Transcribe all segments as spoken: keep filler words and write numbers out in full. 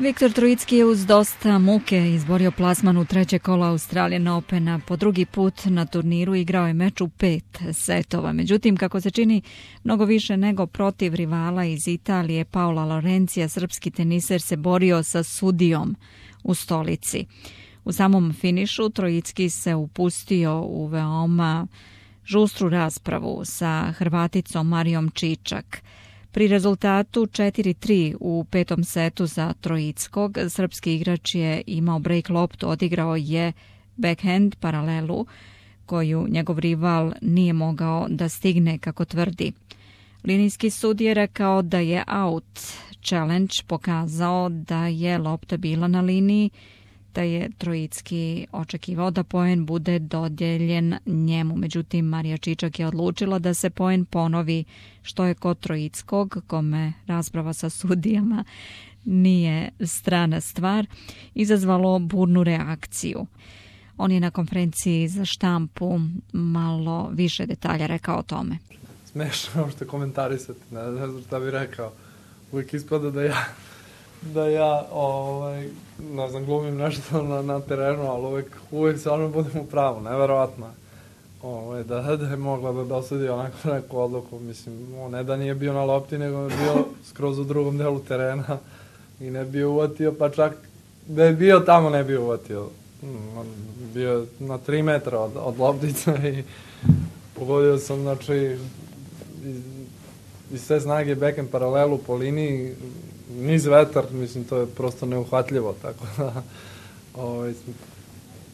Viktor Trojicki je uz dosta muke izborio plasman u treće kolo Australian Opena. Po drugi put na turniru igrao je meč u pet setova. Međutim, kako se čini mnogo više nego protiv rivala iz Italije, Paola Lorencija, srpski teniser se borio sa sudijom u stolici. U samom finišu Trojicki se upustio u veoma žustru raspravu sa Hrvaticom Marijom Čičak. Pri rezultatu četiri tri u petom setu za Trojickog, srpski igrač je imao break loptu, odigrao je backhand paralelu koju njegov rival nije mogao da stigne, kako tvrdi. Linijski sud je rekao da je out. Challenge pokazao da je lopta bila na liniji, da je Trojicki očekivao da poen bude dodijeljen njemu. Međutim, Marija Čičak je odlučila da se poen ponovi, što je kod Trojickog, kome rasprava sa sudijama nije strana stvar, izazvalo burnu reakciju. On je na konferenciji za štampu malo više detalja rekao o tome. Smešno što komentarisati, ne, ne znam šta bih rekao. Uvijek ispada da ja da ja, ovaj, ne znam, glumim nešto na, na terenu, ali uvijek, uvijek se ono budem u pravu, neverovatno. Ovaj, da, da je mogla da dosudi onako neku odluku, mislim, ne da nije bio na lopti, nego je bio skroz u drugom delu terena i ne bio uvatio, pa čak da je bio tamo ne bio uvatio. On bio na tri metra od, od loptice i pogodio sam, znači, iz, iz sve snage backhand paralelu po liniji, niz vetar, mislim, to je prosto neuhvatljivo, tako da, ovaj,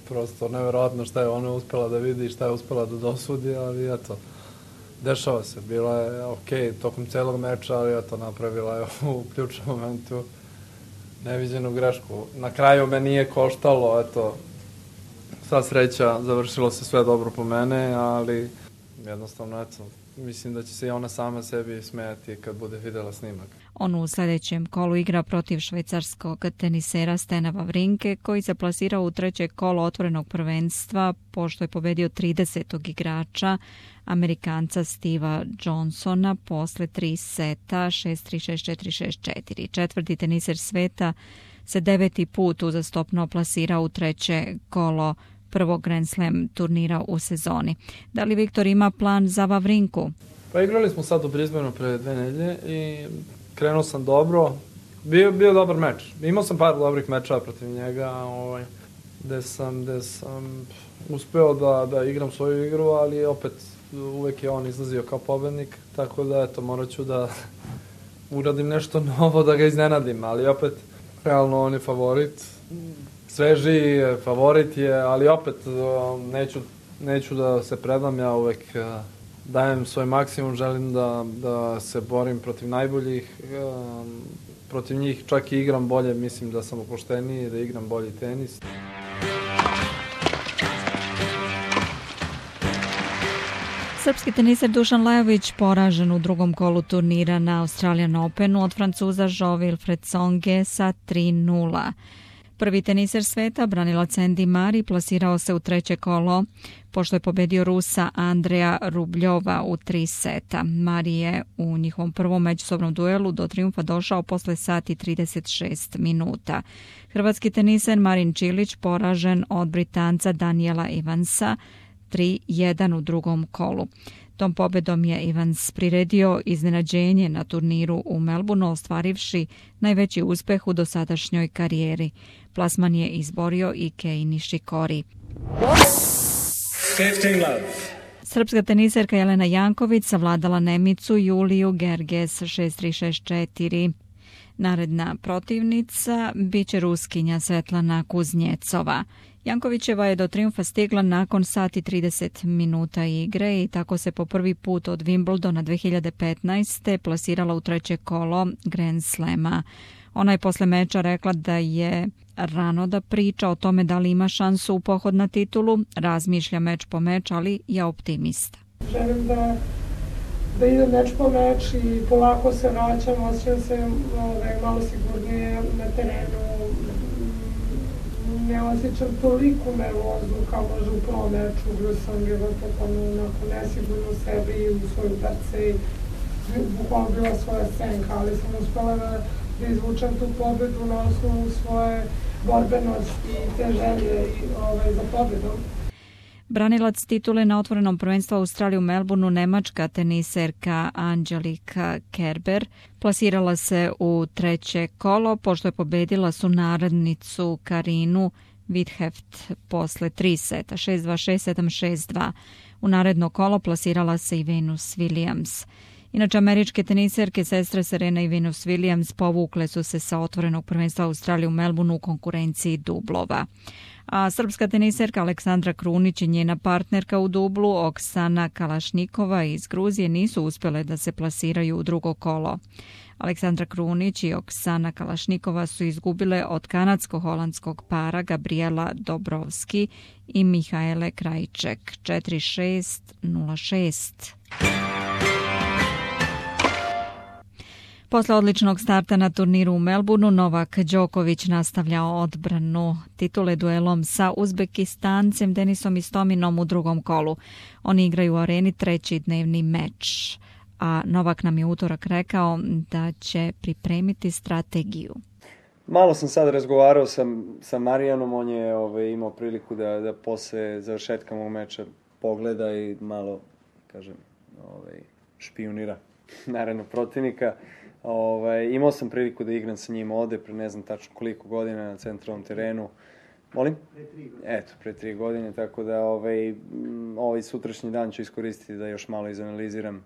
prosto neverovatno šta je ona uspela da vidi i šta je uspela da dosudi, ali eto, dešava se, bila je okej tokom celog meča, ali eto, napravila je u ključnom momentu neviđenu grešku. Na kraju me nije koštalo, eto, sva sreća, završilo se sve dobro po mene, ali jednostavno, eto, mislim da će se i ona sama sebi smejati kad bude videla snimak. On u sljedećem kolu igra protiv švajcarskog tenisera Stena Wawrinke, koji se plasirao u treće kolo otvorenog prvenstva pošto je pobedio tridesetog igrača, Amerikanca Steva Johnsona, posle tri seta šest tri, šest četiri, šest četiri. Četvrti teniser sveta se deveti put uzastopno plasirao u treće kolo prvog Grand Slam turnira u sezoni. Da li Viktor ima plan za Wavrinku? Pa igrali smo sad u Brisbaneu pre dve nedelje i krenuo sam dobro. Bio, bio dobar meč. Imao sam par dobrih mečeva protiv njega, ovaj, gde sam, gde sam uspeo da, da igram svoju igru, ali opet uvek je on izlazio kao pobednik, tako da eto, morat ću da uradim nešto novo, da ga iznenadim, ali opet, realno on je favorit. Sveži favorit je, ali opet neću, neću da se predam, ja uvek dajem svoj maksimum, želim da, da se borim protiv najboljih, protiv njih čak i igram bolje, mislim da sam opušteniji, da igram bolji tenis. Srpski teniser Dušan Lajović poražen u drugom kolu turnira na Australian Openu od Francuza Jo-Wilfried Tsonge sa tri nula. Prvi teniser sveta, branilac Andy Murray, plasirao se u treće kolo pošto je pobedio Rusa Andreja Rubljova u tri seta. Murray je u njihovom prvom međusobnom duelu do triumfa došao posle sati trideset šest minuta. Hrvatski teniser Marin Čilić poražen od Britanca Daniela Evansa tri jedan u drugom kolu. Tom pobedom je Evans priredio iznenađenje na turniru u Melbourneu, ostvarivši najveći uspeh u dosadašnjoj karijeri. Plasman je izborio i Kei Nishikori. Srpska teniserka Jelena Janković savladala Nemicu Juliju Gerges šest tri, šest četiri. Naredna protivnica biće Ruskinja Svetlana Kuznjecova. Jankovićeva je do triumfa stigla nakon sati trideset minuta igre i tako se po prvi put od Wimbledona dve hiljade petnaeste. plasirala u treće kolo Grand Slama. Ona je posle meča rekla da je rano da priča o tome da li ima šansu u pohod na titulu, razmišlja meč po meč, ali je optimista. Želim da, da idem meč po meč i polako se vraćam, osjećam se ovaj, malo sigurnije na terenu. Ne osjećam toliko nervozu kao možda u prvom meču, gdje sam bila totalno onako nesigurno u sebi i u svoju perce i bukvalno bila svoja senka, ali sam uspela da, da izvučem tu pobedu na osnovu svoje borbenosti i te želje ovaj, za pobedom. Branilac titule na otvorenom prvenstvu Australije u Melbourneu, nemačka teniserka Angelika Kerber plasirala se u treće kolo pošto je pobedila sunarodnicu Karinu Vitheft posle tri seta, šest dva, šest sedam, šest dva. U naredno kolo plasirala se i Venus Williams. Inače, američke teniserke sestre Serena i Venus Williams povukle su se sa otvorenog prvenstva Australije u Melbourneu u konkurenciji dublova. A srpska teniserka Aleksandra Krunić i njena partnerka u dublu Oksana Kalašnikova iz Gruzije nisu uspjele da se plasiraju u drugo kolo. Aleksandra Krunić i Oksana Kalašnikova su izgubile od kanadsko-holandskog para Gabriela Dobrovski i Mihaele Krajček četiri šest, nula šest. Posle odličnog starta na turniru u Melbourneu, Novak Đoković nastavlja odbranu titule duelom sa Uzbekistancem Denisom Istominom u drugom kolu. Oni igraju u areni treći dnevni meč, a Novak nam je utorak rekao da će pripremiti strategiju. Malo sam sad razgovarao sa, sa Marijanom, on je ovaj, imao priliku da, da posle završetka mog meča pogleda i malo, kažem, ovaj, špionira naravno protivnika. Ovaj, imao sam priliku da igram sa njim ovde pre ne znam tačno koliko godina na centralnom terenu. Molim? Pre tri godine. Eto, pre tri godine, tako da ovaj, ovaj sutrašnji dan ću iskoristiti da još malo izanaliziram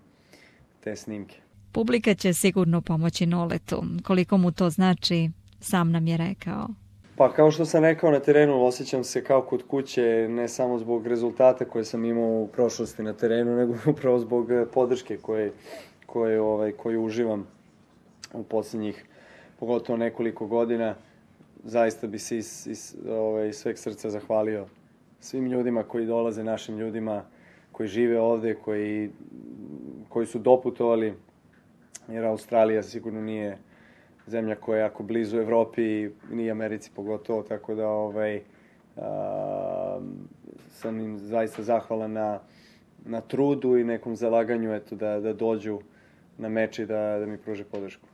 te snimke. Publika će sigurno pomoći Noletu. Koliko mu to znači, sam nam je rekao. Pa kao što sam rekao na terenu, osjećam se kao kod kuće, ne samo zbog rezultata koje sam imao u prošlosti na terenu, nego upravo zbog podrške koje, koje, ovaj, koju uživam u posljednjih, pogotovo nekoliko godina. Zaista bi se iz, iz ovaj, sveg srca zahvalio svim ljudima koji dolaze, našim ljudima koji žive ovde, koji, koji su doputovali, jer Australija sigurno nije zemlja koja je jako blizu Evropi i nije Americi pogotovo, tako da ovaj, a, sam im zaista zahvalan na, na trudu i nekom zalaganju eto, da, da dođu na meč i da, da mi pruže podršku.